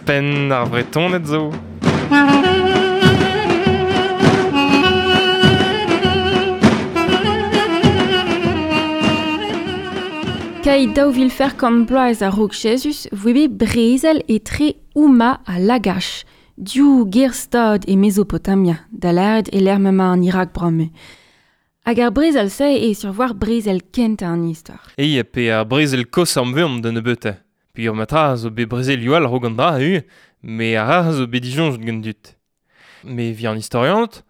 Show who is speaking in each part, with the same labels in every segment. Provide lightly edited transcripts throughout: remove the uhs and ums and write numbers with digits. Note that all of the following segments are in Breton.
Speaker 1: Penn ar Vretoned zo.
Speaker 2: Kai daou vil fer kant bloaz a-raok Jezuz voe bet brezel etre Ouma ha Lagash, div gêr-stad e Mezopotamia, da lâret e lec'h m'emañ an Irak bremañ. Hag ar brezel-se eo sur war brezel kentañ an istor.
Speaker 1: Eo, pe ar brezel kozh amveomp da nebeutañ. Peogwir matra zo bet brezelioù all a-raok an dra ivez, met ar ra zo bet disoñjet gant dud. Met evit an istorianed,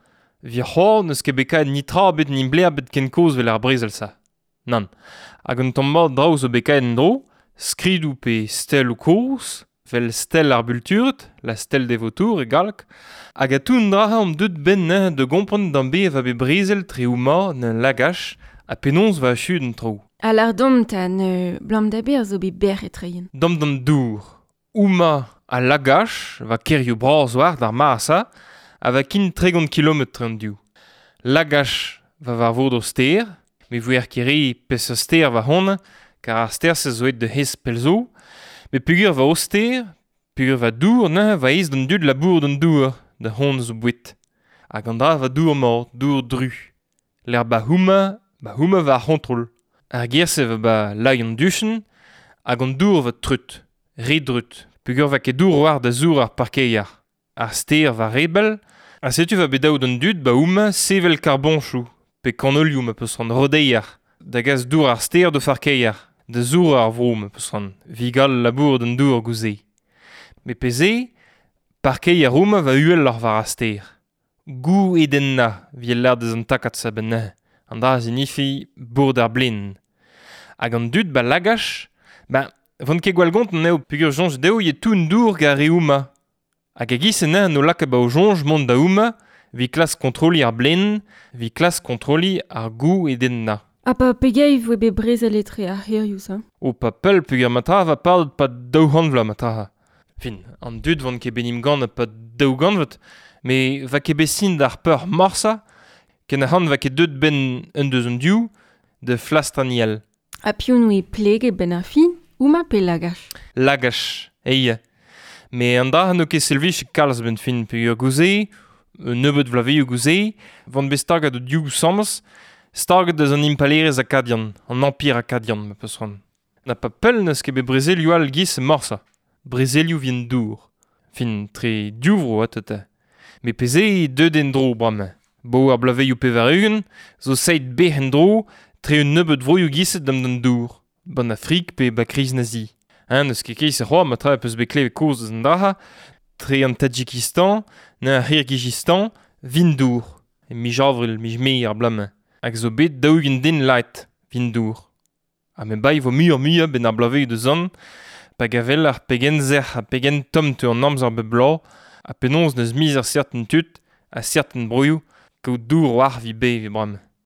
Speaker 1: evit c'hoazh n'eus ket bet kavet netra ebet nimblez ebet ken kozh evel ar brezel-se. Nann. Hag un tamm mat draoù zo bet kavet en-dro, skridoù pe steloù kozh, 'vel stel ar Bultured, la stèle des vautours e galleg, hag a tout an dra omp deuet 'benn neuze da gompren d'an bez va bet brezel tre houmañ 'n lagach ha penaos va achuet an traoù.
Speaker 2: Ha lâr deomp 'ta ne 'blam da berzh zo bet bec'h etreien.
Speaker 1: Deomp d'an dour. Houmañ a lagach va kêrioù bras war d'ar mare-se ha va kin 30 kilometr an div. Lagach va war vord ur stêr, me voe ket re peseurt stêr va honnezh, kar ar stêr-se zo aet da hez pell zo. Met peogwir va o stêr, peogwir va dour neuze va aes d'an dud labourat an dour da c'honez o boued. Hag an dra va dour mat, dour dru. Lec'h ba houmañ, ba houmañ va ar c'hontrol. Ar ger-se va ba lay an duchenn hag an dour va treut, re dreut, peogwir va ket dour war da zour ar parkeier. Ar stêr va re bell, ha setu va bet dav d'an dud ba houmañ sevel karboñchoù pe kanolioù ma peus c'hoant rodeier, da gas dour ar stêr d'o farkeier, da zourañ ar vro ma peus c'hoant, evit gall labourat an dour goude. Met pe-se, parkeier houmañ va uheloc'h war ar stêr. Gou-edennañ 'vit lâret deus an takad-se a-benn neuze, an dra a zinifi bourd ar blin. Hag an dud ba lagach, ben, 'vont ket gwall gontant eo peogwir soñj dezho eo tout an dour gant ar re houmañ. Hag e-giz-se neuze no lakaet ba o soñj mont da houmañ evit klask kontroliñ ar blin, evit klask kontroliñ ar gou-edennañ.
Speaker 2: Ha pa pegeit voe bet brezel etre ar c'hêrioù-se?
Speaker 1: O pa pell peogwir ma tra va padet 'pad 200 vloaz ma tra. Fin, an dud 'vont ket bet 'n em gannet 'pad daou gantved, met 'va ket bet sin d'ar peur morsañ, ken ac'hann 'va ket deuet 'benn un deus an div da flastrañ all.
Speaker 2: Ha piv 'noe pleget 'benn ar fin, houmañ pe lagach?
Speaker 1: Lagach, eia. Met an dra n'eo ket servijet kalz a-benn fin peogwir goude, un nebeud vloavezhioù goude, 'vont bet staget o div asambles, staget deus an impalaerezh akadian, an Empire akadian ma peus c'hoant. Na pa pell n'eus ket bet brezelioù all 'giz morse. Brezelioù 'vit an dour. Fin, tre div vro ata. Met pezh eo deuet en-dro bremañ. Bo ar bloavezhioù 80 zo seit bec'h en-dro tre un nebeud vroioù giset dam d'an dour. Ban Afrik pe ba kriz nazi. Hein, n'eus ket ket c'hoazh ma tra peus bet klevet kaoz eus an dra tre an Tadjikistan na ar C'hirgizistan 'vit dour. E miz avril, miz mae ar bloaz-mañ. Hag zo bet 40 den lakaet 'vit dour. Ha me bae vo muioc'h-muiañ 'benn ar bloavezhioù da zont, pa gavel ar pegen sec'h ha pegen tomm teu an amzer bep bloaz, ha penaos n'eus miz ar serten tud ha serten broioù kaout dour war 'vit beviñ bremañ.